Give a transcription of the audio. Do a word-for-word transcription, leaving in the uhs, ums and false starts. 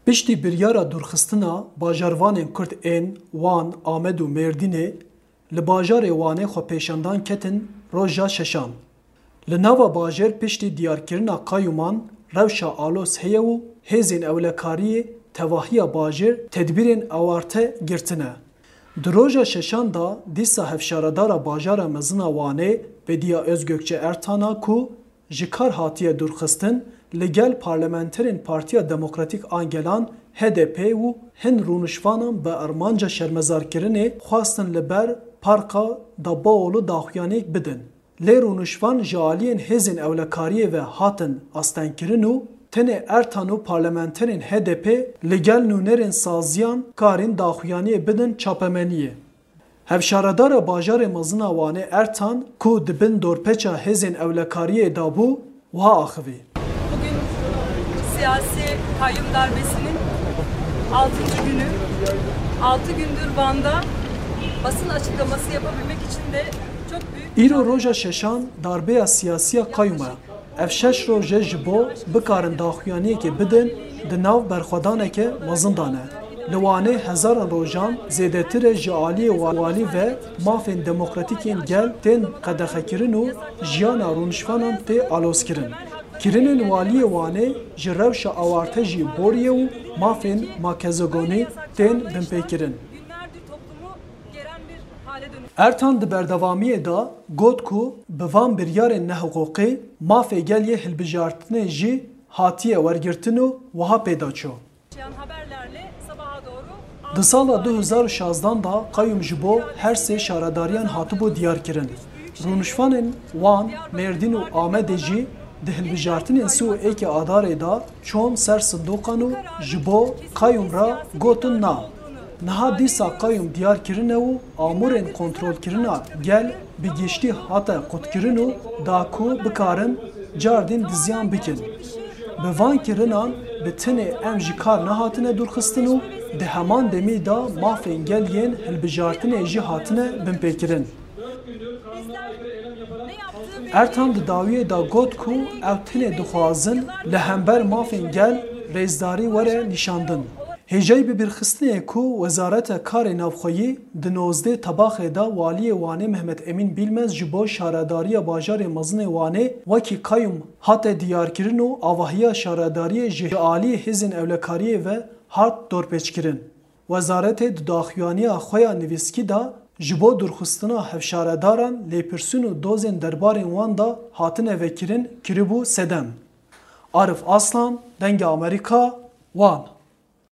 Piştî biryara dûrxistina bajarvanên Kurd ên Wan, Amed û Mêrdînê li bajarê Wanê xwepêşandan ketin roja şeşan. Li nava bajêr piştî diyarkirina qayûman rewşa aloz heye û hêzên ewlekariyê tevahiya bajêr tedbîrên awarte girtine. Di roja şeşan de dîsa hevşaredara bajara mezin a Wanê Bediye Özgökçe Ertan a ku ji kar hatiye dûrxistin, li gel parlamenterên Partiya Demokratîk a Gelan, H D P, û hin rûnişvanan bi armanca şermezarkirinê xwestin li ber Parka Dabaoğlu daxuyaniyek bidin. Lê rûnişvan ji aliyên hêzên ewlekariyê ve hatin astengkirin û tenê Ertan û parlamenterên H D P li gel nûnerên saziyan karîn daxuyaniyê bidin çapemeniyê. Hevşaredara bajarê mezin a Wanê Ertan ku di bin dorpêça hêzên ewlekariyê de bû, wiha axivî. Bugün siyasi kayyum darbesinin altıncı günü. Altı gündür Van'da basın açıklaması yapabilmek için de çok büyük Îro roja şeşan darbeya siyasî ya qayûm e. Ev şeş roj e ji bo bikarin daxuyaniyekê bidin, di nav berxwedaneke mezin de ne. Li Wanê hezaran rojan zêdetir e ji aliyê wa-, walî ve mafên demokratîk ên gel tên qedexekirin û jiyana rûnişvanan tê alozkirin. Kirinên waliyê Wanê ji rewşa awarte jî boriye û mafên makezegonî tên binpêkirin. Ertan di berdewamiyê de got ku bi van biryarên nehiqûqî mafê gel yê hilbijartinê jî hatiye wergirtin û wiha pê de çû. Di sala du hezar û şazdan de qayûm ji bo her sê şaredariyan hatibû diyarkirin. Rûnişvanên Wan, Mêrdîn û Amedê jî di hilbijartinên sî û êkê Adarê de çûn ser sindoqan û ji bo qayûm re gotin na. Niha dîsa qayûm diyar kirine û amûrên kontrolkirina gel bi giştî hate qutkirin û da ku bikarin cardîn diziyan bikin. Bi van kirinan bi tenê em ji kar nehatine dûrxistin û di heman demî de mafên gel yên hilbijartinê jî hatine binpêkirin. Ertan di dawiyê de got ku ew tenê dixwazin li hember mafên gel rêzdarî were nîşandin. Hêjayî bibîrxistinê ye ku Wezareta Karê Navxweyî di nozdeh Tebaxê de Waliyê Wanê Mehmet Emîn Bîlmez ji bo şaredariya bajarê mezin ê Wanê wekî qayûm hate diyarkirin û avahiya şaredariyê ji aliyê hêzên ewlekariyê ve hat dorpêçkirin. Wezaretê di daxuyaniya xwe ya nivîskî de ji bo dûrxistina hevşaredaran lêpirsîn û dozên derbarên wan de hatine vekirin kiribû sedem. Arif Aslan, Dengê Amerîka, Wan.